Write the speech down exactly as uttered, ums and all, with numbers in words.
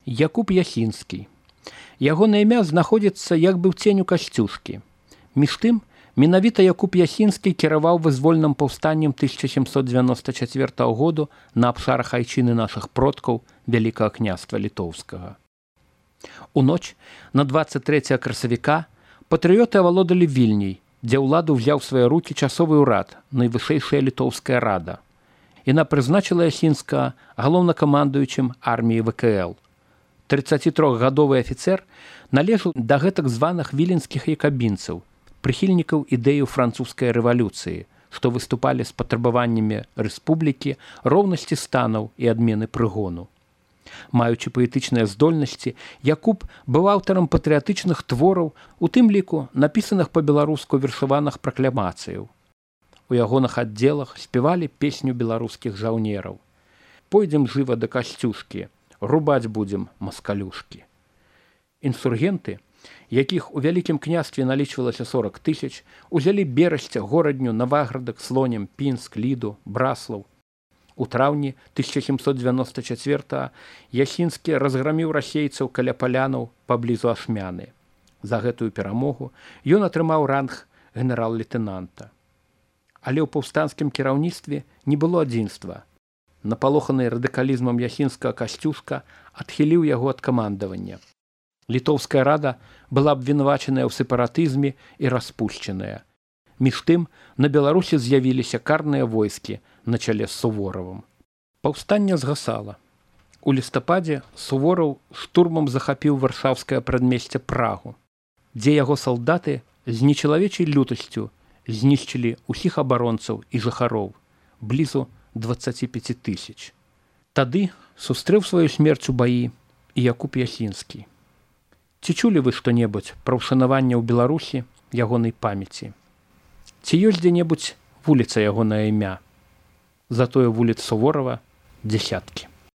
Якуб Ясінскі. Ягонае імя знаходзіцца як бы ў ценю касцюшкі. Між тым, менавіта Якуб Ясінскі кіраваў вызвольным паўстаннем тысяча сямсот дзевяноста чацвёртага году на абшарах айчыны нашых продкаў Вялікага княства літоўскага. У ноч на дваццаць трэцяга красавіка патрыёты авалодалі Вільняй, дзе ўладу ўзяў свае рукі часовы ўрад, найвышэйшая літоўская рада. Яна прызначыла Ясінскага галоўнакамандуючым арміі вэ ка эл. трыццацітрохгадовы афіцэр належаў да гэтак званых віленскіх якабінцаў, прыхільнікаў ідэю французскай рэвалюцыі, што выступалі з патрабаваннямі рэспублікі, роўнасці станаў і адмены прыгону. Маючы паэтычныя здольнасці, Якуб быў аўтарам патрыятычных твораў, у тым ліку напісаных па-беларуску вершаваных пракламацыяў. У ягоных аддзелах спявалі песню беларускіх жаўнераў. «Пойдзем жыва да касцюшкі, рубаць будзем маскалюшкі». Інсургенты, якіх у Вялікім княстве налічвалася сорак тысяч, узялі Берасця, Горадню, Наваградак, Слонім, Пінск, Ліду, Браслаў. У траўні тысяча сямсот дзевяноста чацвёртага Ясінскі разграміў расейцаў каля палянаў паблізу Ашмяны. За гэтую перамогу ён атрымаў ранг генерал-лейтэнанта. Але ў паўстанскім кіраўніцтве не было адзінства. Напалоханы радыкалізмам Ясінскага касцюшка адхіліў яго ад камандавання. Літоўская рада была абвінавачаная ў сепаратызме і распушчаная. Між тым, на Беларусі з'явіліся карныя войскі на чале з Суворавым. Паўстанне згасала. У лістападзе Сувораў штурмам захапіў варшаўскае прадмесце Прагу, дзе яго салдаты з нечалавечай лютасцю знішчылі ўсіх абаронцаў і жыхароў, блізу дваццаці пяці тысяч. Тады сустрэў сваю смерць у баі і Якуб Ясінскі. Ці чулі вы што-небудзь пра ўшанаванне ў Беларусі ягонай памяці? Ці ёсць дзе-небудзь вуліца ягонае імя? Затое вуліц Суворава дзясяткі.